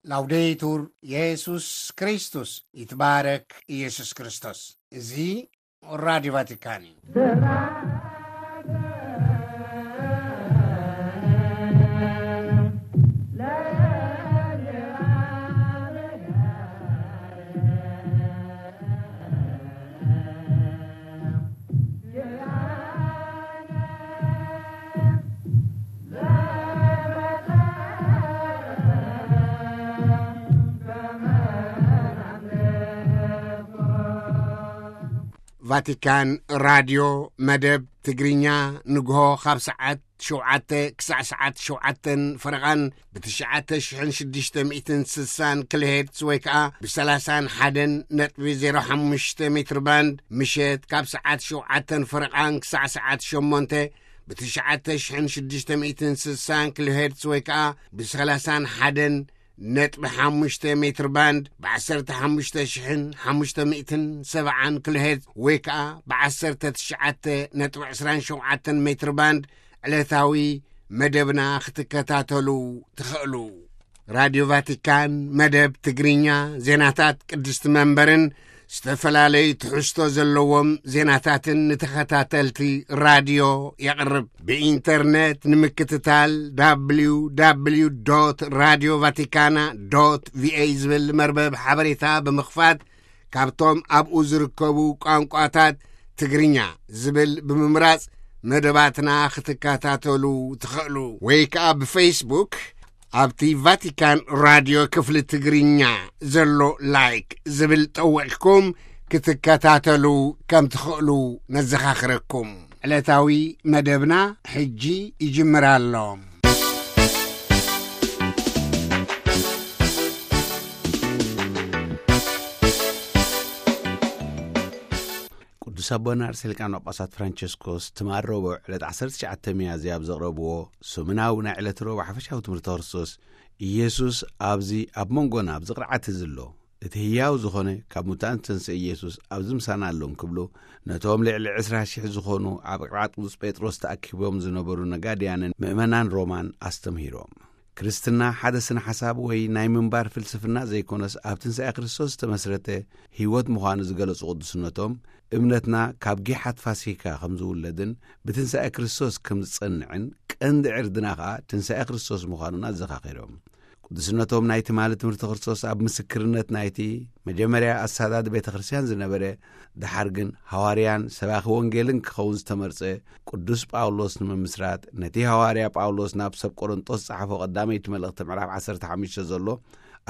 ላውዴቱር የሱስ ክርስቶስ፣ ይትባረክ ኢየሱስ ክርስቶስ። እዚ ራዲዮ ቫቲካን እዩ። ቫቲካን ራድዮ መደብ ትግርኛ፣ ንግሆ ካብ ሰዓት ሸውዓተ ክሳዕ ሰዓት ሸውዓተን ፈረቓን ብ ትሽዓተ ሽሕን ሽዱሽተ ሚእትን ስሳን ኪሎሄርትዝ ወይ ከኣ ብ ሰላሳን ሓደን ነጥቢ ዜሮ ሓሙሽተ ሜትር ባንድ፣ ምሸት ካብ ሰዓት ሸውዓተን ፈረቓን ክሳዕ ሰዓት ሸሞንተ ብ ትሽዓተ ሽሕን ሽዱሽተ ሚእትን ስሳን ኪሎሄርትዝ ወይ ከኣ ብ ሰላሳን ሓደን ነጥቢ ሓሙሽተ ሜትር ባንድ፣ ብ ዓሰርተ ሓሙሽተ ሽሕን ሓሙሽተ ሚእትን ሰብዓን ኪሎሄርትዝ ወይ ከኣ ብ ዓሰርተ ትሽዓተ ነጥቢ ዕስራን ሸውዓተን ሜትር ባንድ ዕለታዊ መደብና ክትከታተሉ ትኽእሉ። ራድዮ ቫቲካን መደብ ትግርኛ፣ ዜናታት ቅድስቲ መንበርን ዝተፈላለዩ ትሕዝቶ ዘለዎም ዜናታትን ንተኸታተልቲ ራድዮ የቕርብ። ብኢንተርነት ንምክትታል፣ www radio vaticana va ዝብል መርበብ ሓበሬታ ብምኽፋት፣ ካብቶም ኣብኡ ዝርከቡ ቋንቋታት ትግርኛ ዝብል ብምምራጽ መደባትና ክትከታተሉ ትኽእሉ። ወይ ከኣ ብፌስቡክ ኣብቲ ቫቲካን ራድዮ ክፍሊ ትግርኛ ዘሎ ላይክ ዝብል ጠዊቕኩም ክትከታተሉ ከም ትኽእሉ ነዘኻኽረኩም። ዕለታዊ መደብና ሕጂ ይጅምር ኣሎ። ቅዱስ ኣቦና ርእሰ ሊቃነ ጳጳሳት ፍራንቸስኮስ ትማል ረቡዕ ዕለት ዓሰርተ ትሽዓተ ሚያዝያ ኣብ ዘቕረብዎ ሰሙናዊ ናይ ዕለት ረቡዕ ሓፈሻዊ ትምህርቲ ክርስቶስ፣ ኢየሱስ ኣብዚ ኣብ መንጎና ኣብዚ ቅርዓት እዚ ኣሎ፣ እቲ ህያው ዝኾነ ካብ ሙታን ዝተንስአ ኢየሱስ ኣብዚ ምሳና ኣሎ እንክብሉ፣ ነቶም ልዕሊ ዕስራ ሽሕ ዝኾኑ ኣብ ቅርዓት ቅዱስ ጴጥሮስ ተኣኪቦም ዝነበሩ ነጋድያንን ምእመናን ሮማን ኣስተምሂሮም። ክርስትና ሓደ ስነ ሓሳብ ወይ ናይ ምንባር ፍልስፍና ዘይኮነስ፣ ኣብ ትንሳኤ ክርስቶስ ዝተመስረተ ህይወት ምዃኑ ዝገለጹ ቅዱስነቶም፣ እምነትና ካብ ጊሓት ፋሲካ ከም ዝውለድን ብትንሳኤ ክርስቶስ ከም ዝጸንዕን፣ ቀንዲ ዕርድና ከኣ ትንሳኤ ክርስቶስ ምዃኑን ኣዘኻኺሮም። ቅዱስነቶም ናይ ትማሊ ትምህርቲ ክርስቶስ ኣብ ምስክርነት ናይቲ መጀመርያ ኣሳዳዲ ቤተ ክርስቲያን ዝነበረ፣ ደሓር ግን ሃዋርያን ሰባኺ ወንጌልን ክኸውን ዝተመርጸ ቅዱስ ጳውሎስ ንምምስራት፣ ነቲ ሃዋርያ ጳውሎስ ናብ ሰብ ቆሮንጦስ ዝጸሓፎ ቀዳመይቲ መልእኽቲ ምዕራፍ ዓሰርተ ሓሙሽተ ዘሎ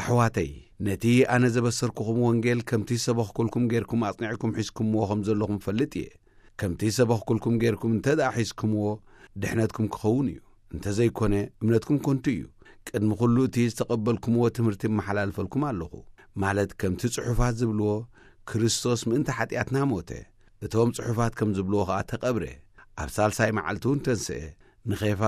ኣሕዋተይ፣ ነቲ ኣነ ዘበሰርኩኹም ወንጌል ከምቲ ዝሰበኽኩልኩም ጌርኩም ኣጽኒዕኩም ሒዝኩምዎ ከም ዘለኹም እፈልጥ እየ። ከምቲ ዝሰበኽኩልኩም ጌርኩም እንተ ደኣ ሒዝኩምዎ፣ ድሕነትኩም ክኸውን እዩ። እንተ ዘይኮነ፣ እምነትኩም ከንቱ እዩ። ቅድሚ ኹሉ እቲ ዝተቐበልኩምዎ ትምህርቲ እመሓላልፈልኩም ኣለኹ። ማለት ከምቲ ጽሑፋት ዝብልዎ፣ ክርስቶስ ምእንቲ ሓጢኣትና ሞተ። እቶም ጽሑፋት ከም ዝብልዎ ኸኣ ተቐብረ። ኣብ ሳልሳይ መዓልቲ እውን ተንስአ። ንኼፋ፣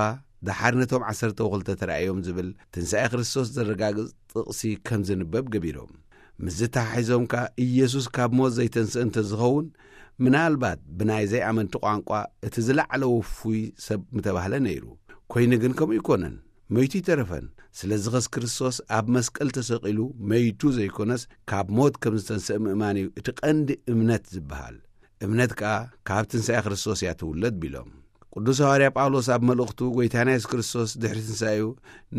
ደሓር ነቶም ዓሰርተ ወክልተ ተራእዮም ዝብል ትንሳኤ ክርስቶስ ዘረጋግጽ ጥቕሲ ከም ዝንበብ ገቢሮም። ምስዚ ተሓሒዞም ከኣ ኢየሱስ ካብ ሞት ዘይተንስአ እንተ ዝኸውን፣ ምናልባት ብናይ ዘይኣመንቲ ቋንቋ እቲ ዝለዓለ ውፉይ ሰብ ምተባህለ ነይሩ። ኮይኑ ግን ከምኡ ኣይኮነን። መይቱ ኣይተረፈን። ስለዚ ኸስ ክርስቶስ ኣብ መስቀል ተሰቒሉ መይቱ ዘይኮነስ፣ ካብ ሞት ከም ዝተንስአ ምእማን እዩ እቲ ቀንዲ እምነት ዝበሃል። እምነት ከኣ ካብ ትንሳኤ ክርስቶስ እያ ትውለድ ቢሎም። ቅዱስ ሃዋርያ ጳውሎስ ኣብ መልእኽቱ፣ ጐይታና የሱስ ክርስቶስ ድሕሪ ትንሳኤኡ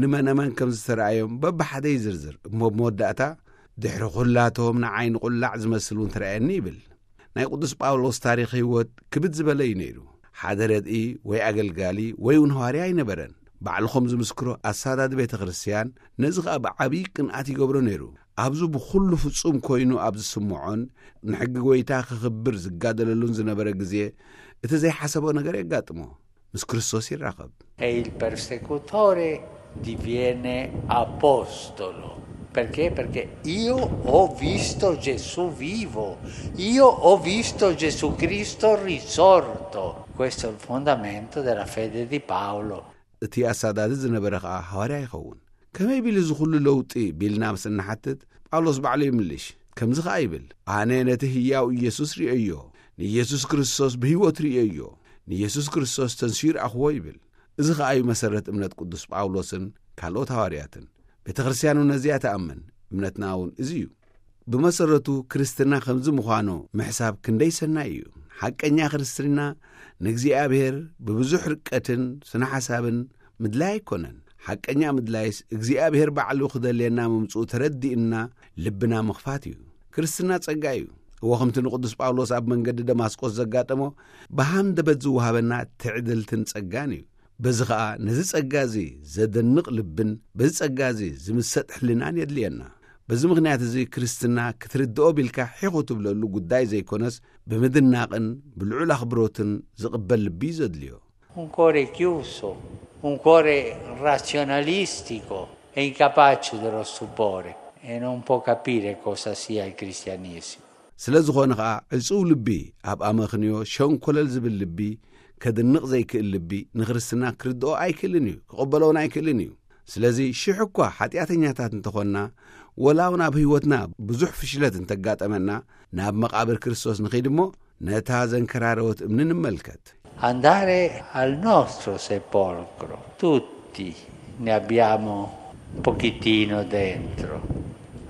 ንመነመን ከም ዝተራእዮም በብሓደ ይዝርዝር። እሞ ብመወዳእታ፣ ድሕሪ ኹላቶም ንዓይ ንቑላዕ ዝመስል እውን ተራእየኒ ይብል። ናይ ቅዱስ ጳውሎስ ታሪኽ ህይወት ክብድ ዝበለ እዩ ነይሩ። ሓደ ረድኢ ወይ ኣገልጋሊ ወይ እውን ሃዋርያ ኣይነበረን። ባዕሉ ከም ዝምስክሮ፣ ኣሳዳዲ ቤተ ክርስቲያን ነዚ ኸኣ ብዓብዪ ቅንኣት ይገብሮ ነይሩ። ኣብዚ ብኹሉ ፍጹም ኮይኑ ኣብ ዝስምዖን ንሕጊ ጐይታ ክኽብር ዝጋደለሉን ዝነበረ ግዜ፣ እቲ ዘይሓሰቦ ነገር የጋጥሞ። ምስ ክርስቶስ ይራኸብ። E il persecutore diviene apostolo. Perché? Perché io ho visto Gesù vivo, io ho visto Gesù Cristo risorto. Questo è il fondamento della fede di Paolo. እቲ ኣሳዳዲ ዝነበረ ኸኣ ሃዋርያ ይኸውን። ከመይ ቢሉ እዚ ኹሉ ለውጢ ቢልና ምስ እንሓትት፣ ጳውሎስ ባዕሉ ይምልሽ። ከምዚ ኸኣ ይብል፣ ኣነ ነቲ ህያው ኢየሱስ ርእየዮ፣ ንኢየሱስ ክርስቶስ ብህይወት ርእየዮ፣ ንኢየሱስ ክርስቶስ ተንሲኡ ረኣኽዎ ይብል። እዚ ኸኣ እዩ መሰረት እምነት ቅዱስ ጳውሎስን ካልኦት ሃዋርያትን። ቤተ ክርስቲያን እውን ነዚኣ ትኣምን። እምነትና እውን እዚ እዩ። ብመሰረቱ ክርስትና ከምዚ ምዃኑ ምሕሳብ ክንደይ ሰናይ እዩ። ሓቀኛ ክርስትና ንእግዚኣብሔር ብብዙሕ ርቀትን ስነ ሓሳብን ምድላይ ኣይኮነን። ሓቀኛ ምድላይስ እግዚኣብሔር ባዕሉ ክደልየና ምምጽኡ ተረዲእና ልብና ምኽፋት እዩ። ክርስትና ጸጋ እዩ። እወ፣ ከምቲ ንቅዱስ ጳውሎስ ኣብ መንገዲ ደማስቆስ ዘጋጠሞ፣ ብሃንደበት ዝወሃበና ትዕድልትን ጸጋን እዩ። በዚ ኸኣ ነዚ ጸጋ እዚ ዘደንቕ ልብን በዚ ጸጋ እዚ ዝምሰጥ ሕልናን የድልየና። በዚ ምኽንያት እዚ ክርስትና ክትርድኦ ቢልካ ሒኹ ትብለሉ ጉዳይ ዘይኮነስ፣ ብምድናቕን ብልዑል ኣኽብሮትን ዝቕበል ልቢ እዩ ዘድልዮ። Un cuore chiuso, un cuore razionalistico è incapace dello stupore e non può capire cosa sia il cristianesimo. ስለ ዝኾነ ኸኣ ዕጹው ልቢ፣ ኣብ ኣመኽንዮ ሸንኮለል ዝብል ልቢ፣ ከድንቕ ዘይክእል ልቢ ንክርስትና ክርድኦ ኣይክእልን እዩ፣ ክቕበሎውን ኣይክእልን እዩ። ስለዚ ሽሕ እኳ ሓጢኣተኛታት እንተኾንና፣ ወላ እውን ኣብ ህይወትና ብዙሕ ፍሽለት እንተጋጠመና፣ ናብ መቓብር ክርስቶስ ንኺድ እሞ ነታ ዘንከራረወት እምኒ ንመልከት። Andare al nostro sepolcro, tutti ne abbiamo un pochettino dentro.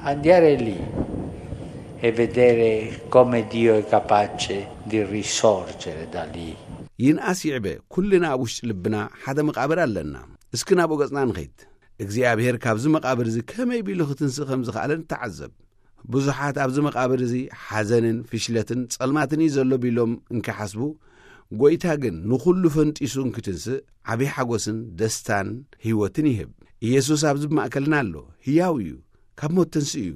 Andare lì e vedere come Dio è capace di risorgere da lì. ይንኣስ ይዕበ፣ ኩልና ኣብ ውሽጢ ልብና ሓደ መቓብር ኣለና። እስኪ ናብኡ ገጽና ንኸይድ። እግዚኣብሔር ካብዚ መቓብር እዚ ከመይ ቢሉ ክትንስእ ከም ዝኸኣለ ንተዓዘብ። ብዙሓት ኣብዚ መቓብር እዚ ሓዘንን ፍሽለትን ጸልማትን እዩ ዘሎ ቢሎም እንክሓስቡ፣ ጐይታ ግን ንኹሉ ፈንጢሱ እንክትንስእ ዓብዪ ሓጎስን ደስታን ህይወትን ይህብ። ኢየሱስ ኣብዚ ማእከልና ኣሎ፣ ህያው እዩ፣ ካብ ሞት ተንስኡ እዩ።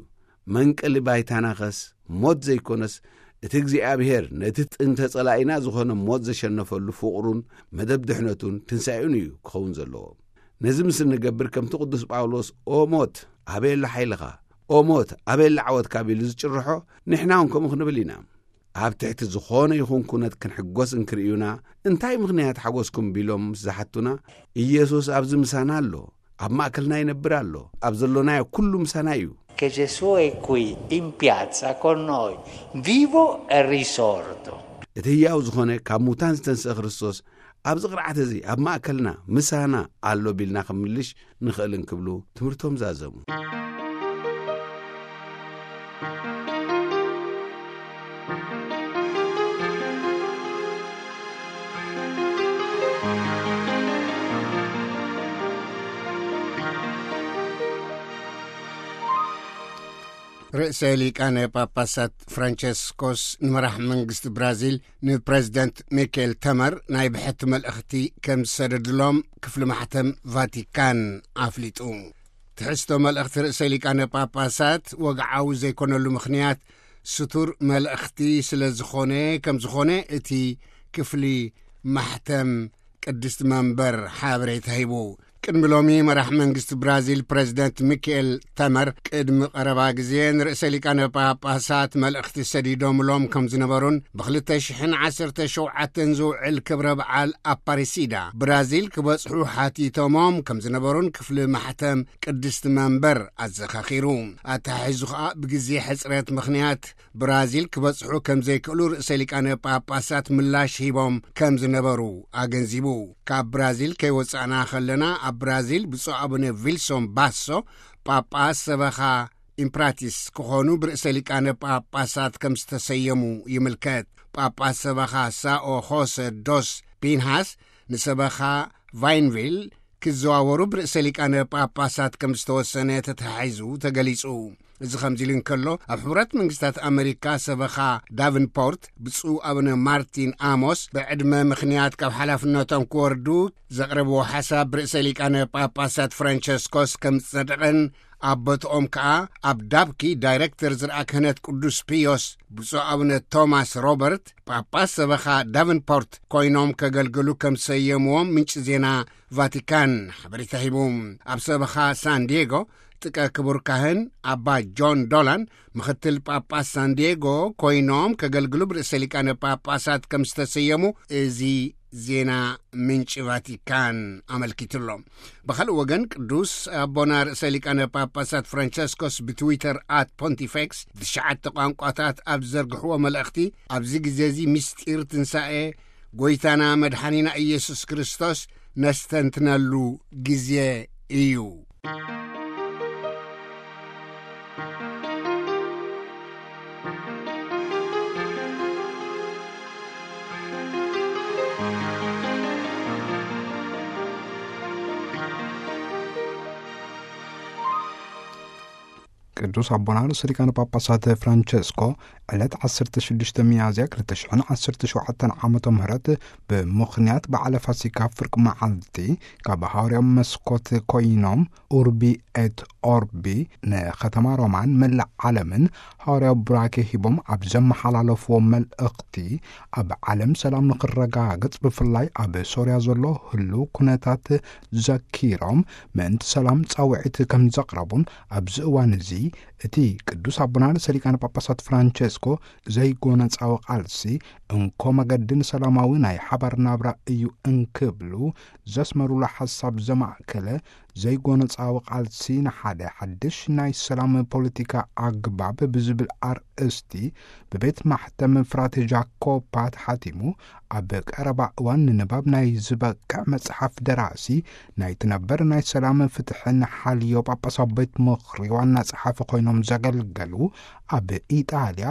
መንቀሊ ባይታና ኸስ ሞት ዘይኮነስ፣ እቲ እግዚኣብሔር ነቲ ጥንተ ጸላኢና ዝኾነ ሞት ዘሸነፈሉ ፍቕሩን መደብ ድሕነቱን ትንሳኤኡን እዩ ክኸውን ዘለዎ። ነዚ ምስ እንገብር ከምቲ ቅዱስ ጳውሎስ "ኦ ሞት፣ ኣበይ ኣሎ ሓይልኻ? ኦ ሞት፣ ኣበይ ኣሎ ዓወትካ?" ቢሉ ዝጭርሖ፣ ንሕና እውን ከምኡ ክንብል ኢና። ኣብ ትሕቲ ዝኾነ ይኹን ኩነት ክንሕጎስ እንክርእዩና፣ እንታይ ምኽንያት ሓጎስኩም ቢሎም ምስ ዝሓቱና፣ ኢየሱስ ኣብዚ ምሳና ኣሎ፣ ኣብ ማእከልና ይነብር ኣሎ፣ ኣብ ዘሎናዮ ኩሉ ምሳና እዩ። Che Gesù è qui in piazza con noi, vivo e risorto. እቲ ህያው ዝኾነ ካብ ሙታን ዝተንስአ ክርስቶስ ኣብዚ ቅርዓት እዚ ኣብ ማእከልና ምሳና ኣሎ ቢልና ክንምልሽ ንኽእል እንክብሉ ትምህርቶም ዛዘሙ። ርእሰ ሊቃነ ጳጳሳት ፍራንቸስኮስ ንመራሕ መንግስቲ ብራዚል ንፕረዚደንት ሚኬል ተመር ናይ ብሕቲ መልእኽቲ ከም ዝሰደድሎም ክፍሊ ማሕተም ቫቲካን ኣፍሊጡ። ትሕዝቶ መልእኽቲ ርእሰ ሊቃነ ጳጳሳት ወግዓዊ ዘይኮነሉ ምኽንያት ስቱር መልእኽቲ ስለ ዝኾነ፣ ከም ዝኾነ እቲ ክፍሊ ማሕተም ቅድስቲ መንበር ሓበሬታ ሂቡ። ቅድሚ ሎሚ መራሕ መንግስቲ ብራዚል ፕረዚደንት ሚካኤል ተመር ቅድሚ ቀረባ ግዜ ንርእሰ ሊቃነ ጳጳሳት መልእኽቲ ሰዲዶምሎም ከም ዝነበሩን ብ ክልተ ሽሕን ዓሰርተ ሸውዓተን ዝውዕል ክብረ በዓል ኣፓሪሲዳ ብራዚል ክበጽሑ ሓቲቶሞም ከም ዝነበሩን ክፍሊ ማሕተም ቅድስቲ መንበር ኣዘኻኺሩ። ኣተሓሒዙ ኸኣ ብግዜ ሕጽረት ምኽንያት ብራዚል ክበጽሑ ከም ዘይክእሉ ርእሰ ሊቃነ ጳጳሳት ምላሽ ሂቦም ከም ዝነበሩ ኣገንዚቡ። ካብ ብራዚል ከይወጻእና ከለና ኣብ ብራዚል ብፁዕ ኣቡነ ቪልሶን ባሶ ጳጳስ ሰበኻ ኢምፕራቲስ ክኾኑ ብርእሰ ሊቃነ ጳጳሳት ከም ዝተሰየሙ ይምልከት። ጳጳስ ሰበኻ ሳኦ ሆሰ ዶስ ፒንሃስ ንሰበኻ ቫይንቪል ክዘዋወሩ ብርእሰ ሊቃነ ጳጳሳት ከም ዝተወሰነ ተተሓሒዙ ተገሊጹ። እዚ ከምዚ ኢሉ እንከሎ፣ ኣብ ሕቡራት መንግስታት ኣመሪካ ሰበኻ ዳቨንፖርት ብፁዕ ኣቡነ ማርቲን ኣሞስ ብዕድመ ምኽንያት ካብ ሓላፍነቶም ክወርዱ ዘቕረብዎ ሓሳብ ብርእሰ ሊቃነ ጳጳሳት ፍራንቸስኮስ ከም ዝጸደቐን ኣብ ቦትኦም ከኣ ኣብ ዳብኪ ዳይረክተር ዝርኣ ክህነት ቅዱስ ፒዮስ ብፁዕ ኣቡነ ቶማስ ሮበርት ጳጳስ ሰበኻ ዳቨንፖርት ኮይኖም ከገልግሉ ከም ዝሰየምዎም ምንጪ ዜና ቫቲካን ሓበሬታ ሂቡ። ኣብ ሰበኻ ሳን ዲየጎ ጥቀ ክቡር ካህን ኣባ ጆን ዶላን ምኽትል ጳጳስ ሳን ዲየጎ ኮይኖም ከገልግሉ ብርእሰ ሊቃነ ጳጳሳት ከም ዝተሰየሙ እዚ ዜና ምንጪ ቫቲካን ኣመልኪቱ ኣሎ። ብኻልእ ወገን ቅዱስ ኣቦና ርእሰ ሊቃነ ጳጳሳት ፍራንቸስኮስ ብትዊተር ኣት ፖንቲፌክስ ብትሽዓተ ቋንቋታት ኣብ ዝዘርግሕዎ መልእኽቲ፣ ኣብዚ ግዜ እዚ ምስጢር ትንሳኤ ጐይታና መድሓኒና ኢየሱስ ክርስቶስ ነስተንትነሉ ግዜ እዩ። ቅዱስ ኣቦና ርእሰ ሊቃነ ጳጳሳት ፍራንቸስኮ ዕለት ዓሰርተ ሽዱሽተ ሚያዝያ ክልተ ሽሕን ዓሰርተ ሸውዓተን ዓመተ ምህረት ብምኽንያት በዓለ ፋሲካ ፍርቂ መዓልቲ ካብ ሃዋርያዊ መስኮት ኮይኖም ኡርቢ ኤት ኦርቢ ንከተማ ሮማን መላእ ዓለምን ሃዋርያዊ ቡራኬ ሂቦም ኣብ ዘመሓላለፍዎ መልእኽቲ፣ ኣብ ዓለም ሰላም ንኽረጋገጽ ብፍላይ ኣብ ሶርያ ዘሎ ህሉው ኩነታት ዘኪሮም ምእንቲ ሰላም ጻውዒት ከም ዘቕረቡን ኣብዚ እዋን እዚ እቲ ቅዱስ ኣቦና ርእሰ ሊቃነ ጳጳሳት ፍራንቸስኮ ዘይጎነጻዊ ቃልሲ እንኮ መገዲ ንሰላማዊ ናይ ሓባር ናብራ እዩ እንክብሉ ዘስመሩሉ ሓሳብ ዘማእከለ ዘይጎነጻዊ ቃልሲ ንሓደ ሓድሽ ናይ ሰላም ፖለቲካ ኣግባብ ብዝብል ኣርእስቲ ብቤት ማሕተም ፍራቴ ጃኮፓ ተሓቲሙ ኣብ ቀረባ እዋን ንንባብ ናይ ዝበቅዕ መጽሓፍ ደራሲ ናይቲ ነበር ናይ ሰላም ፍትሕን ሓልዮ ጳጳሳዊ ቤት ምኽሪ ዋና ጸሓፊ ኮይኖም ዘገልገሉ ኣብ ኢጣልያ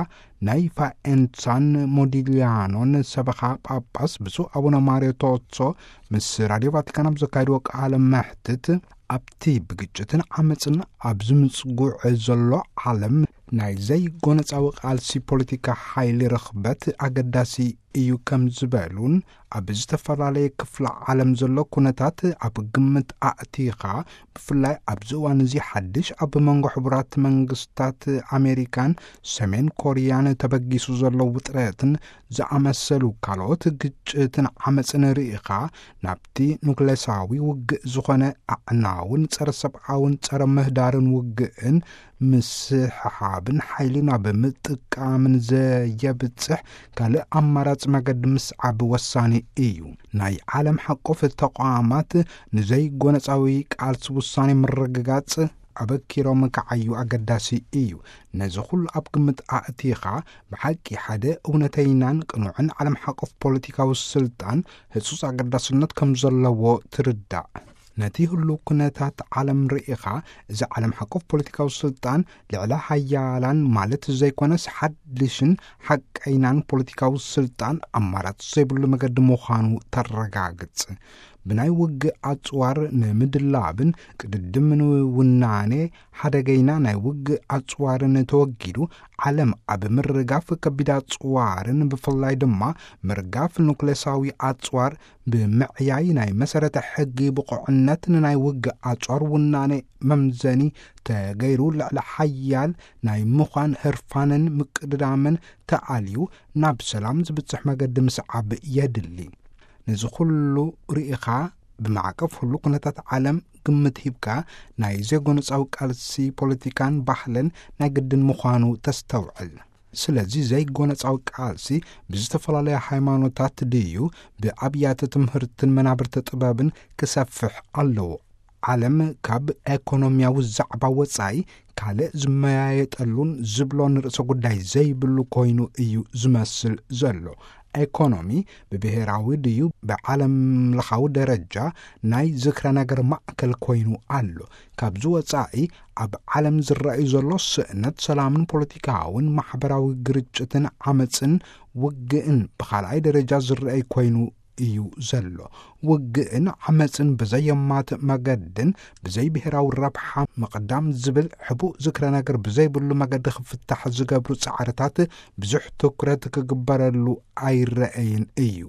ናይ ፋኤንሳን ሞዲሊያኖን ሰበኻ ጳጳስ ብፁዕ ኣቡነ ማርዮ ቶሶ ምስ ራድዮ ቫቲካን ኣብ ዘካየድዎ ቃለ መሕትት ኣብቲ ብግጭትን ዓመፅን ኣብ ዝምፅጉዕ ዘሎ ዓለም ናይ ዘይጎነፃዊ ቃልሲ ፖለቲካ ሓይሊ ርኽበት ኣገዳሲ እዩ ከም ዝበሉን ኣብ ዝተፈላለየ ክፍለ ዓለም ዘሎ ኩነታት ኣብ ግምት ኣእቲኻ ብፍላይ ኣብዚ እዋን እዚ ሓድሽ ኣብ መንጎ ሕቡራት መንግስታት ኣሜሪካን ሰሜን ኮርያን ተበጊሱ ዘሎ ውጥረትን ዝኣመሰሉ ካልኦት ግጭትን ዓመፅን ርኢኻ ናብቲ ኑክሌሳዊ ውግእ ዝኾነ ኣዕናውን ጸረ ሰብኣውን ጸረ ምህዳርን ውግእን ምስሕሓብን ሓይሊ ናብ ምጥቃምን ዘየብጽሕ ካልእ ኣማራጺ መገዲ ምስዓብ ወሳኒ እዩ። ናይ ዓለም ሓቆፍ ተቋማት ንዘይጎነጻዊ ቃልሲ ውሳኔ ምርግጋጽ ኣበኪሮም ክዓዩ ኣገዳሲ እዩ። ነዚ ኩሉ ኣብ ግምት ኣእቲኻ ብሓቂ ሓደ እውነተይናን ቅኑዕን ዓለም ሓቆፍ ፖለቲካዊ ስልጣን ህጹጽ ኣገዳስነት ከም ዘለዎ ትርዳእ። ነቲ ህሉው ኩነታት ዓለም ርኢኻ፣ እዚ ዓለም ሓቆፍ ፖለቲካዊ ስልጣን ልዕለ ሓያላን ማለት ዘይኮነስ ሓድሽን ሓቀይናን ፖለቲካዊ ስልጣን ኣማራጺ ዘይብሉ መገዲ ምዃኑ ተረጋግጽ። ብናይ ውግእ ኣጽዋር ንምድላብን ቅድድም ንውናኔ ሓደገይና ናይ ውግእ ኣጽዋርን ተወጊዱ፣ ዓለም ኣብ ምርጋፍ ከቢድ ኣጽዋርን ብፍላይ ድማ ምርጋፍ ኑክሌሳዊ ኣጽዋር ብምዕያይ ናይ መሰረተ ሕጊ ብቑዕነት ንናይ ውግእ ኣጽዋር ውናኔ መምዘኒ ተገይሩ ልዕሊ ሓያል ናይ ምዃን ህርፋንን ምቅድዳምን ተኣልዩ ናብ ሰላም ዝብጽሕ መገዲ ምስዓብ የድሊ። ነዚ ኩሉ ርኢኻ ብማዕቀፍ ኩሉ ኩነታት ዓለም ግምት ሂብካ ናይ ዘይጎነጻዊ ቃልሲ ፖለቲካን ባህልን ናይ ግድን ምዃኑ ተስተውዕል። ስለዚ ዘይጎነጻዊ ቃልሲ ብዝተፈላለያ ሃይማኖታት ድዩ ብኣብያተ ትምህርትን መናብርቲ ጥበብን ክሰፍሕ ኣለዎ። ዓለም ካብ ኤኮኖሚያዊ ዛዕባ ወጻኢ ካልእ ዝመያየጠሉን ዝብሎን ርእሰ ጉዳይ ዘይብሉ ኮይኑ እዩ ዝመስል ዘሎ። ኤኮኖሚ ብብሄራዊ ድዩ ብዓለም ለኻዊ ደረጃ ናይ ዝክረ ነገር ማእከል ኮይኑ ኣሎ። ካብዚ ወጻኢ ኣብ ዓለም ዝረኣዩ ዘሎ ስእነት ሰላምን ፖለቲካውን ማሕበራዊ ግርጭትን ዓመጽን ውግእን ብኻልኣይ ደረጃ ዝረኣይ ኮይኑ እዩ ዘሎ። ውግእን ዓመጽን ብዘየማትእ መገድን ብዘይ ብሄራዊ ረብሓ ምቕዳም ዝብል ሕቡእ ዝክረ ነገር ብዘይብሉ መገዲ ክፍታሕ ዝገብሩ ጻዕርታት ብዙሕ ትኩረት ክግበረሉ ኣይረኣይን እዩ።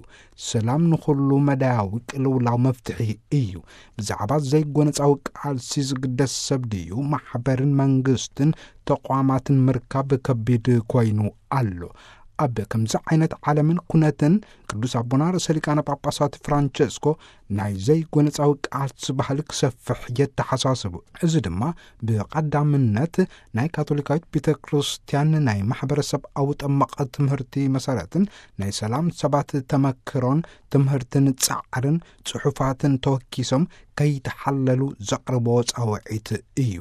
ሰላም ንኹሉ መዳያዊ ቅልውላው መፍትሒ እዩ። ብዛዕባ ዘይጎነጻዊ ቃልሲ ዝግደስ ሰብ ድዩ ማሕበርን መንግስትን ተቋማትን ምርካብ ከቢድ ኮይኑ ኣሎ። ኣብ ከምዚ ዓይነት ዓለምን ኩነትን ቅዱስ ኣቦና ርእሰ ሊቃነ ጳጳሳት ፍራንቸስኮ ናይ ዘይጎነጻዊ ቃልሲ ባህሊ ክሰፍሕ የተሓሳስቡ። እዚ ድማ ብቐዳምነት ናይ ካቶሊካዊት ቤተ ክርስቲያን ናይ ማሕበረሰብ ኣዊ ጠመቐ ትምህርቲ መሰረትን ናይ ሰላም ሰባት ተመክሮን ትምህርትን ጻዕርን ጽሑፋትን ተወኪሶም ከይተሓለሉ ዘቕርቦ ጻውዒት እዩ።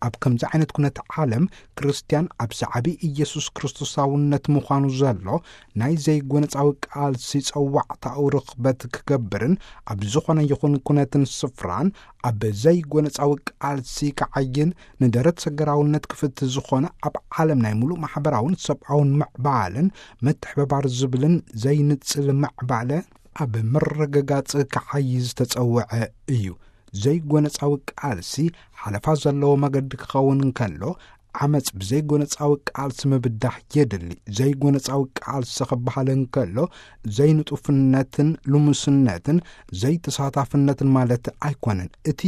ኣብ ከምዚ ዓይነት ኩነት ዓለም ክርስትያን ኣብ ሰዓቢ ኢየሱስ ክርስቶሳውነት ምዃኑ ዘሎ ናይ ዘይጎነጻዊ ቃልሲ ጸዋዕታኡ ርኽበት ክገብርን ኣብ ዝኾነ ይኹን ኩነትን ስፍራን ኣብ ዘይጎነጻዊ ቃልሲ ክዓይን ንደረት ሰገራውነት ክፍት ዝኾነ ኣብ ዓለም ናይ ሙሉእ ማሕበራውን ሰብኣውን ምዕባለን ምትሕብባር ዝብልን ዘይንጽል ምዕባለ ኣብ ምርግጋጽ ክዓይ ዝተጸውዐ እዩ። ዘይጎነጻዊ ቃልሲ ሓለፋ ዘለዎ መገዲ ክኸውን እንከሎ ዓመጽ ብዘይጎነጻዊ ቃልሲ ምብዳህ የድሊ። ዘይጎነጻዊ ቃልሲ ክበሃል እንከሎ፣ ዘይንጡፍነትን ልሙስነትን ዘይተሳታፍነትን ማለት ኣይኮነን። እቲ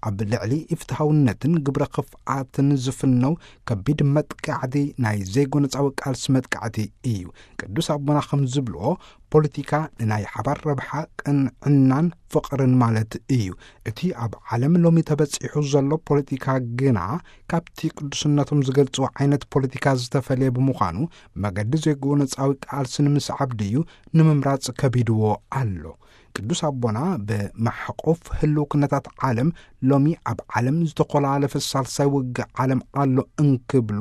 ኣብ ልዕሊ ኢፍትሃውነትን ግብረ ክፍኣትን ዝፍነው ከቢድ መጥቃዕቲ ናይ ዘይጎነጻዊ ቃልሲ መጥቃዕቲ እዩ። ቅዱስ ኣቦና ከም ዝብልዎ፣ ፖለቲካ ንናይ ሓባር ረብሓ፣ ቅንዕናን ፍቕርን ማለት እዩ። እቲ ኣብ ዓለም ሎሚ ተበጺሑ ዘሎ ፖለቲካ ግና፣ ካብቲ ቅዱስነቶም ዝገልጽዎ ዓይነት ፖለቲካ ዝተፈልየ ብምዃኑ፣ መገዲ ዘይጎነጻዊ ቃልሲ ንምስዓብ ድዩ ንምምራጽ ከቢድዎ ኣሎ። ቅዱስ ኣቦና ብማሕቆፍ ህልው ኩነታት ዓለም፣ ሎሚ ኣብ ዓለም ዝተኮላለፈ ሳልሳይ ውግእ ዓለም ኣሎ እንክብሉ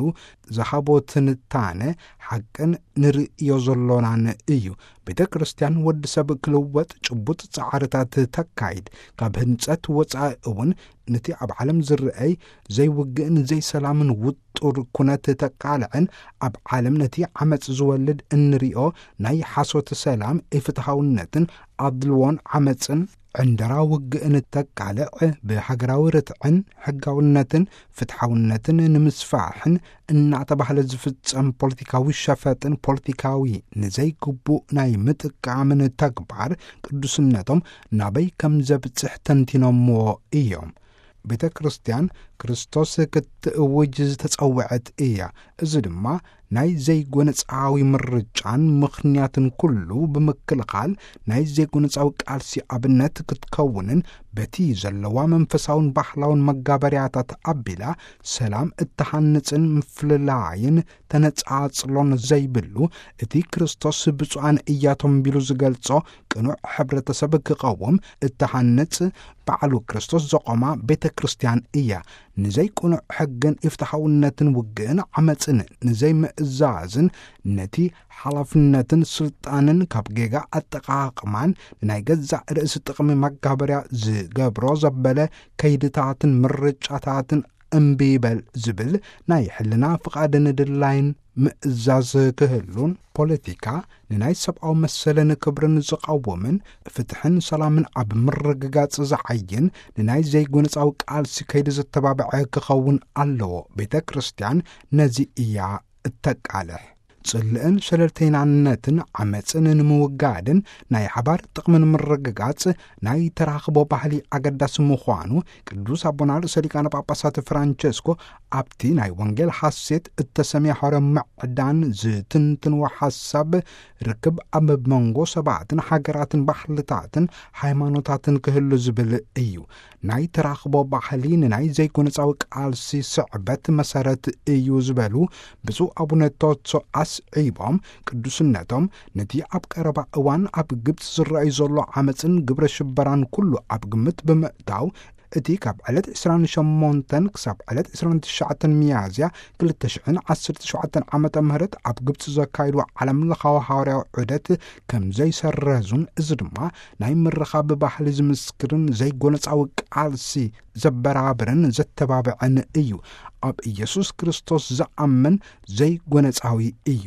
ዝሃቦ ትንታነ፣ ሓቅን ንርእዮ ዘሎናን እዩ። ቤተ ክርስቲያን ወዲ ሰብ ክልወጥ ጭቡጥ ጻዕርታት ተካይድ። ካብ ህንጸት ወጻኢ እውን፣ ነቲ ኣብ ዓለም ዝረኣይ ዘይውግእን ዘይሰላምን ውጡር ኩነት ተቃልዕን፣ ኣብ ዓለም ነቲ ዓመጽ ዝወልድ እንሪኦ ናይ ሓሶት ሰላም፣ ኢፍትሃውነትን ኣድልዎን ዓመጽን ዕንደራ ውግእን ተቃልዕ፣ ብሃገራዊ ርትዕን ሕጋውነትን ፍትሓውነትን ንምስፋሕን እናተባህለ ዝፍጸም ፖለቲካዊ ሸፈጥን ፖለቲካዊ ንዘይግቡእ ናይ ምጥቃምን ተግባር ቅዱስነቶም ናበይ ከም ዘብጽሕ ተንቲኖምዎ እዮም። ቤተ ክርስቲያን ክርስቶስ ክትእውጅ ዝተጸውዐት እያ። እዚ ድማ ናይ ዘይጎነጻዊ ምርጫን ምኽንያትን ኩሉ ብምክልኻል፣ ናይ ዘይጎነጻዊ ቃልሲ ኣብነት ክትከውንን፣ በቲ ዘለዋ መንፈሳውን ባህላውን መጋበርያታት ኣቢላ ሰላም እትሃንጽን ምፍልላይን ተነጻጽሎን ዘይብሉ፣ እቲ ክርስቶስ ብፁዓን እያቶም ቢሉ ዝገልጾ ቅኑዕ ሕብረተሰብ ክቐውም እትሃንጽ፣ ባዕሉ ክርስቶስ ዘቖማ ቤተ ክርስቲያን እያ። ንዘይቅኑዕ ሕግን ኢፍትሓውነትን ውግእን ዓመጽን ንዘይምእዛዝን፣ ነቲ ሓላፍነትን ስልጣንን ካብ ጌጋ ኣጠቓቕማን ንናይ ገዛእ ርእሲ ጥቕሚ መጋበርያ ዝገብሮ ዘበለ ከይድታትን ምርጫታትን እምቢ ይበል ዝብል ናይ ሕልና ፍቓድን ድላይን ምእዛዝ ክህሉን፣ ፖለቲካ ንናይ ሰብኣዊ መሰልን ክብርን ዝቐውምን፣ ፍትሕን ሰላምን ኣብ ምርግጋጽ ዝዓይን፣ ንናይ ዘይጎነጻዊ ቃልሲ ከይዲ ዘተባብዐ ክኸውን ኣለዎ። ቤተ ክርስቲያን ነዚ እያ እተቃልሕ። ጽልእን ሸለልተይናነትን ዓመጽን ንምውጋድን ናይ ሓባር ጥቕሚ ንምርግጋጽ ናይ ተራኽቦ ባህሊ ኣገዳሲ ምዃኑ ቅዱስ ኣቦና ርእሰ ሊቃነ ጳጳሳት ፍራንቸስኮ ኣብቲ ናይ ወንጌል ሓሴት እተሰምየ ሐዋርያዊ ምዕዳን ዝትንትንዎ ሓሳብ፣ ርክብ ኣብ መንጎ ሰባትን ሃገራትን ባህልታትን ሃይማኖታትን ክህሉ ዝብል እዩ። ናይ ተራኽቦ ባህሊ ንናይ ዘይጎነጻዊ ቃልሲ ስዕበት መሰረት እዩ ዝበሉ ብፁዕ ኣቡነ ቶትሶ ኣስዒቦም፣ ቅዱስነቶም ነቲ ኣብ ቀረባ እዋን ኣብ ግብጺ ዝረኣዩ ዘሎ ዓመጽን ግብረ ሽበራን ኩሉ ኣብ ግምት ብምእታው፣ እቲ ካብ ዕለት ዕስራን ሸሞንተን ክሳብ ዕለት ዕስራን ትሽዓተን ሚያዝያ ክልተ ሽሕን ዓሰርተ ሸውዓተን ዓመተ ምህረት ኣብ ግብጺ ዘካይድዎ ዓለም ለኻዊ ሃዋርያዊ ዑደት ከም ዘይሰረዙን፣ እዚ ድማ ናይ ምርኻብ ባህሊ ዝምስክርን ዘይጎነጻዊ ቃልሲ ዘበራብርን ዘተባብዐን እዩ። ኣብ ኢየሱስ ክርስቶስ ዝኣምን ዘይጎነጻዊ እዩ።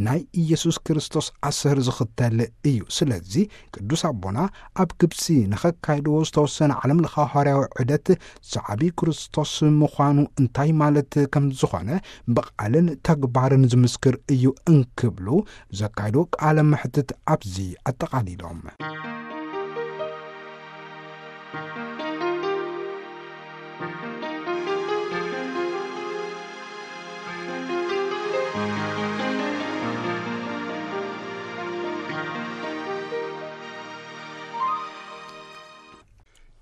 ናይ ኢየሱስ ክርስቶስ ኣሰር ዝኽተል እዩ። ስለዚ ቅዱስ ኣቦና ኣብ ግብጺ ንኸካይድዎ ዝተወሰነ ዓለም ለኻዊ ሃዋርያዊ ዑደት፣ ሰዓቢ ክርስቶስ ምዃኑ እንታይ ማለት ከም ዝኾነ ብቓልን ተግባርን ዝምስክር እዩ እንክብሉ ዘካይዶ ቃለ መሕትት ኣብዚ ኣጠቓሊሎም።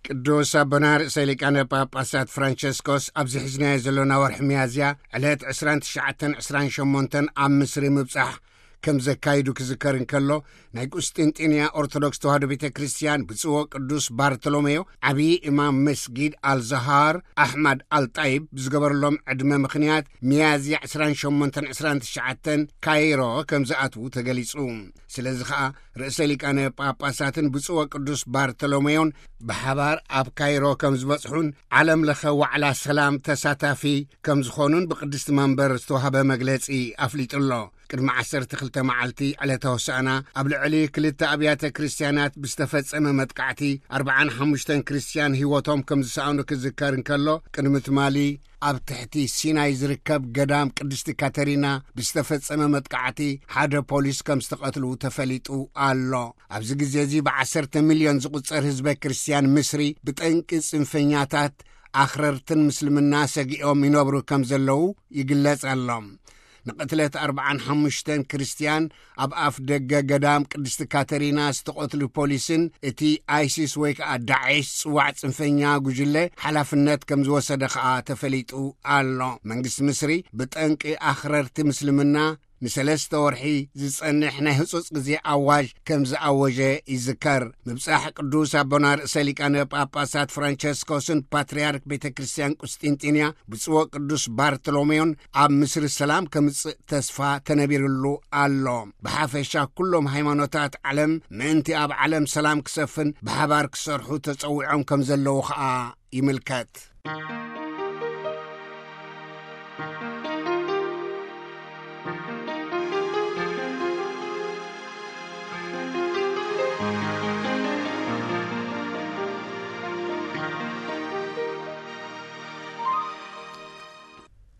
ቅዱስ ኣቦና ርእሰ ሊቃነ ጳጳሳት ፍራንቸስኮስ ኣብዚ ሒዝናዮ ዘሎና ወርሒ ሚያዝያ ዕለት ዕስራን ትሽዓተን ዕስራን ሸሞንተን ኣብ ምስሪ ምብጻሕ ከም ዘካይዱ ክዝከር እንከሎ፣ ናይ ቁስጥንጢንያ ኦርቶዶክስ ተዋህዶ ቤተ ክርስቲያን ብፁዕ ቅዱስ ባርቶሎሜዮ ዓብዪ ኢማም መስጊድ ኣልዛሃር ኣሕማድ ኣልጣይብ ብዝገበረሎም ዕድመ ምኽንያት ሚያዝያ ዕስራን ሸሞንተን ዕስራን ትሽዓተን ካይሮ ከም ዝኣትዉ ተገሊጹ። ስለዚ ኸኣ ርእሰ ሊቃነ ጳጳሳትን ብፁዕ ቅዱስ ባርቶሎሜዮን ብሓባር ኣብ ካይሮ ከም ዝበጽሑን ዓለም ለኸ ዋዕላ ሰላም ተሳታፊ ከም ዝኾኑን ብቅድስቲ መንበር ዝተዋህበ መግለጺ ኣፍሊጡ ኣሎ። ቅድሚ ዓሰርተ ክልተ መዓልቲ ዕለተ ሆሳዕና ኣብ ልዕሊ ክልተ ኣብያተ ክርስቲያናት ብዝተፈጸመ መጥቃዕቲ ኣርብዓን ሓሙሽተን ክርስቲያን ህይወቶም ከም ዝሰኣኑ ክዝከር እንከሎ፣ ቅድሚ ትማሊ ኣብ ትሕቲ ሲናይ ዝርከብ ገዳም ቅድስቲ ካተሪና ብዝተፈጸመ መጥቃዕቲ ሓደ ፖሊስ ከም ዝተቐትሉ ተፈሊጡ ኣሎ። ኣብዚ ግዜ እዚ ብዓሰርተ ሚልዮን ዝቑጸር ህዝበ ክርስትያን ምስሪ ብጠንቂ ጽንፈኛታት ኣኽረርትን ምስልምና ሰጊኦም ይነብሩ ከም ዘለዉ ይግለጽ ኣሎ። ንቕትለት ኣርብዓን ሓሙሽተን ክርስትያን ኣብ ኣፍ ደገ ገዳም ቅድስቲ ካተሪና ዝተቐትሉ ፖሊስን እቲ ኣይሲስ ወይ ከኣ ዳዒሽ ጽዋዕ ጽንፈኛ ጉጅለ ሓላፍነት ከም ዝወሰደ ከኣ ተፈሊጡ ኣሎ። መንግስቲ ምስሪ ብጠንቂ ኣኽረርቲ ምስልምና ንሰለስተ ወርሒ ዝጸንሕ ናይ ህጹጽ ግዜ ኣዋጅ ከም ዝኣወጀ ይዝከር። ምብጻሕ ቅዱስ ኣቦና ርእሰ ሊቃነ ጳጳሳት ፍራንቸስኮስን ፓትርያርክ ቤተ ክርስቲያን ቁስጢንጢንያ ብጽዎ ቅዱስ ባርቶሎሜዮን ኣብ ምስሪ ሰላም ከምጽእ ተስፋ ተነቢርሉ ኣሎ። ብሓፈሻ ኩሎም ሃይማኖታት ዓለም ምእንቲ ኣብ ዓለም ሰላም ክሰፍን ብሓባር ክሰርሑ ተጸዊዖም ከም ዘለዉ ኸኣ ይምልከት።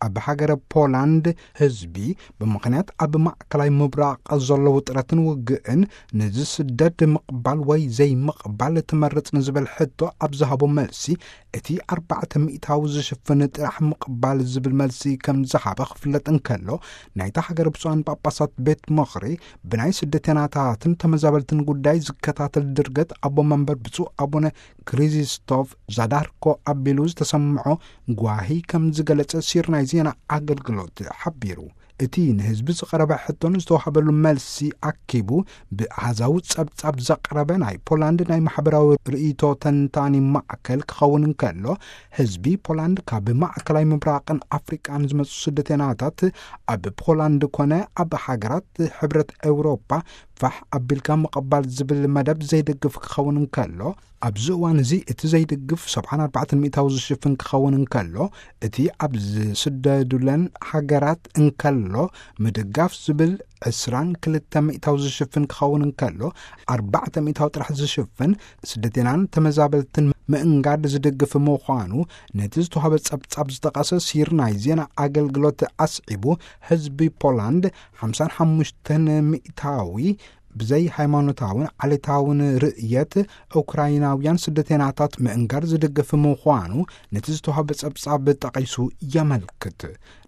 ኣብ ሃገረ ፖላንድ ህዝቢ ብምኽንያት ኣብ ማእከላይ ምብራቕ ዘሎ ውጥረትን ውግእን ንዝስደድ ምቕባል ወይ ዘይምቕባል ትመርጽ ንዝብል ሕቶ ኣብ ዝሃቦ መልሲ፣ እቲ ኣርባዕተ ሚእታዊ ዝሽፍን ጥራሕ ምቕባል ዝብል መልሲ ከም ዝሃበ ክፍለጥ እንከሎ፣ ናይታ ሃገር ብፁዓን ጳጳሳት ቤት ምኽሪ ብናይ ስደተናታትን ተመዛበልትን ጉዳይ ዝከታተል ድርገት ኣቦ መንበር ብፁዕ ኣቡነ ክሪዚስቶፍ ዛዳርኮ ኣቢሉ ዝተሰምዖ ጓሂ ከም ዝገለጸ ሲር ናይ ዜና ኣገልግሎት ሓቢሩ። እቲ ንህዝቢ ዝቐረበ ሕቶን ዝተዋህበሉ መልሲ ኣኪቡ ብኣሃዛዊ ጸብጻብ ዘቕረበ ናይ ፖላንድ ናይ ማሕበራዊ ርእይቶ ተንታኒ ማእከል ክኸውን እንከሎ፣ ህዝቢ ፖላንድ ካብ ማእከላይ ምብራቕን ኣፍሪቃን ዝመጹ ስደተናታት ኣብ ፖላንድ ኮነ ኣብ ሃገራት ሕብረት ኤውሮጳ ፋሕ ኣቢልካ ምቕባል ዝብል መደብ ዘይደግፍ ክኸውን እንከሎ፣ ኣብዚ እዋን እዚ እቲ ዘይድግፍ ሰብዓን ኣርባዕተን ሚእታዊ ዝሽፍን ክኸውን እንከሎ፣ እቲ ኣብ ዝስደዱለን ሃገራት እንከሎ ምድጋፍ ዝብል ዕስራን ክልተ ሚእታዊ ዝሽፍን ክኸውን እንከሎ፣ ኣርባዕተ ሚእታዊ ጥራሕ ዝሽፍን ስደተናን ተመዛበልትን ምእንጋድ ዝድግፍ ምዃኑ ነቲ ዝተዋህበ ጸብጻብ ዝጠቐሰ ሲር ናይ ዜና ኣገልግሎት ኣስዒቡ፣ ህዝቢ ፖላንድ ሓምሳን ሓሙሽተን ሚእታዊ ብዘይ ሃይማኖታውን ዓሌታውን ርእየት ኡክራይናውያን ስደተናታት ምእንጋድ ዝድግፍ ምዃኑ ነቲ ዝተዋህበ ጸብጻብ ጠቒሱ የመልክት።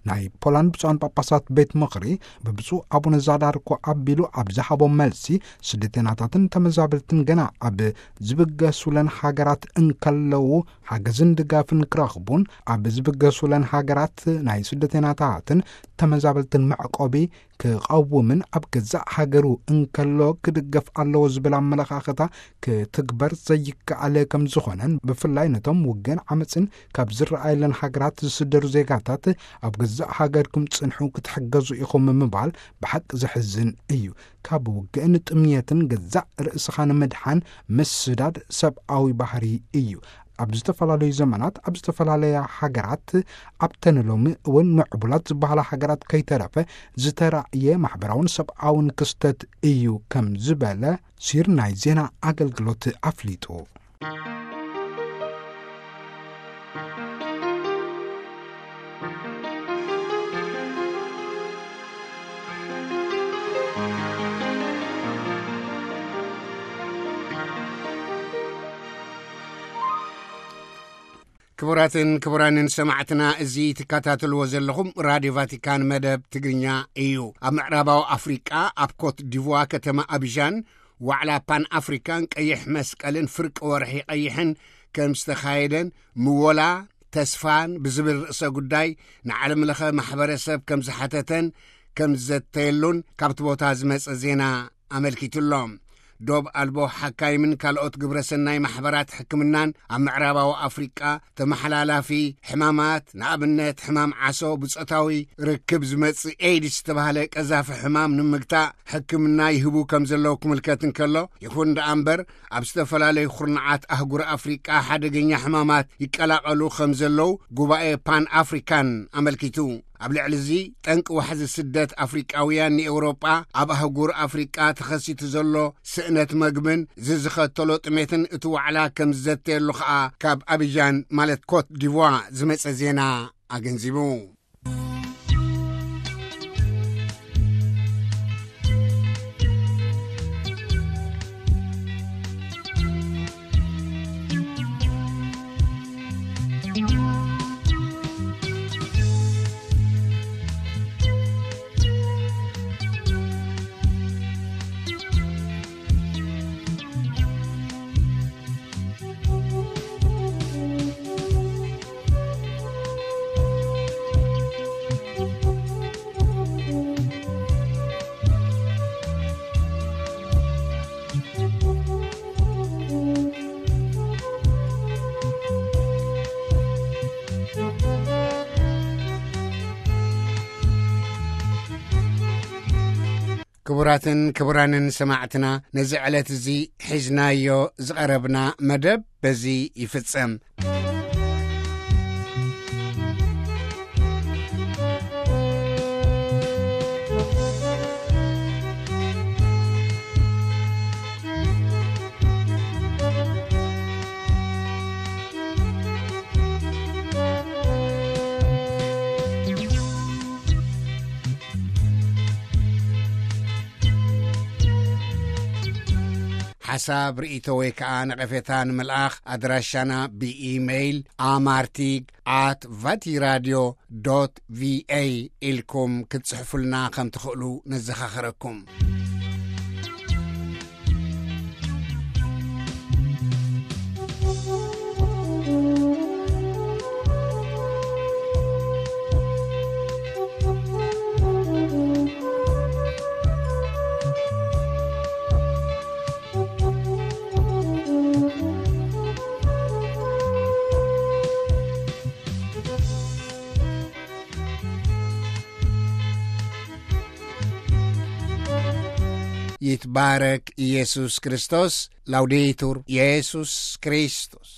ናይ ፖላንድ ብፁዓን ጳጳሳት ቤት ምኽሪ ብብፁዕ ኣቡነ ዛዳርኮ ኣቢሉ ኣብ ዝሃቦ መልሲ፣ ስደተናታትን ተመዛበልትን ገና ኣብ ዝብገሱለን ሃገራት እንከለዉ ሓገዝን ድጋፍን ክረኽቡን ኣብ ዝብገሱለን ሃገራት ናይ ስደተናታትን ተመዛበልትን መዕቆቢ ክቐውምን ኣብ ገዛእ ሃገሩ እንከሎ ክድገፍ ኣለዎ ዝብል ኣመለኻኽታ ክትግበር ዘይከኣለ ከም ዝኾነን፣ ብፍላይ ነቶም ውግእን ዓመፅን ካብ ዝረኣየለን ሃገራት ዝስደዱ ዜጋታት ኣብ ገዛእ ሃገርኩም ጽንሑ ክትሕገዙ ኢኹም ምባል ብሓቂ ዘሕዝን እዩ። ካብ ውግእን ጥምየትን ገዛእ ርእስኻ ንምድሓን ምስዳድ ሰብኣዊ ባህሪ እዩ። ኣብ ዝተፈላለዩ ዘመናት ኣብ ዝተፈላለያ ሃገራት ኣብተን ሎሚ እውን ምዕቡላት ዝበሃላ ሃገራት ከይተረፈ ዝተራእየ ማሕበራውን ሰብኣውን ክስተት እዩ ከም ዝበለ ሲር ናይ ዜና ኣገልግሎት ኣፍሊጡ። ክቡራትን ክቡራንን ሰማዕትና፣ እዚ ትከታተልዎ ዘለኹም ራድዮ ቫቲካን መደብ ትግርኛ እዩ። ኣብ ምዕራባዊ ኣፍሪቃ ኣብ ኮት ዲቯር ከተማ ኣቢዣን ዋዕላ ፓን ኣፍሪካን ቀይሕ መስቀልን ፍርቂ ወርሒ ቀይሕን ከም ዝተኻየደን ምወላ ተስፋን ብዝብል ርእሰ ጉዳይ ንዓለም ለኸ ማሕበረሰብ ከም ዝሓተተን ከም ዝዘተየሉን ካብቲ ቦታ ዝመጸ ዜና ኣመልኪቱ ኣሎ። ዶብ ኣልቦ ሓካይምን ካልኦት ግብረ ሰናይ ማሕበራት ሕክምናን ኣብ ምዕራባዊ ኣፍሪቃ ተመሓላላፊ ሕማማት፣ ንኣብነት ሕማም ዓሶ፣ ብጾታዊ ርክብ ዝመጽእ ኤድስ ዝተባህለ ቀዛፊ ሕማም ንምግታእ ሕክምና ይህቡ ከም ዘለዉ ክምልከት እንከሎ፣ ይኹን ደኣ እምበር ኣብ ዝተፈላለዩ ኩርናዓት ኣህጉር ኣፍሪቃ ሓደገኛ ሕማማት ይቀላቐሉ ከም ዘለዉ ጉባኤ ፓን ኣፍሪካን ኣመልኪቱ። ኣብ ልዕሊ እዚ ጠንቂ ዋሕዚ ስደት ኣፍሪቃውያን ንኤውሮጳ ኣብ ኣህጉር ኣፍሪቃ ተኸሲቱ ዘሎ ስእነት መግብን ዝዝኸተሎ ጥሜትን እቲ ዋዕላ ከም ዝዘተየሉ ኸኣ ካብ ኣቢጃን ማለት ኮት ዲቯር ዝመጸ ዜና ኣገንዚቡ። ክቡራትን ክቡራንን ሰማዕትና፣ ነዚ ዕለት እዚ ሒዝናዮ ዝቐረብና መደብ በዚ ይፍጸም። ሓሳብ፣ ርእይቶ ወይ ከዓ ነቐፌታ ንምልኣኽ ኣድራሻና ብኢሜይል ኣማርቲግ ኣት ቫቲራድዮ ዶት ቪኤ ኢልኩም ክትጽሕፉልና ከም ትኽእሉ ነዘኻኽረኩም። ይትባረክ ኢየሱስ ክርስቶስ። ላውዴቱር ኢየሱስ ክርስቶስ።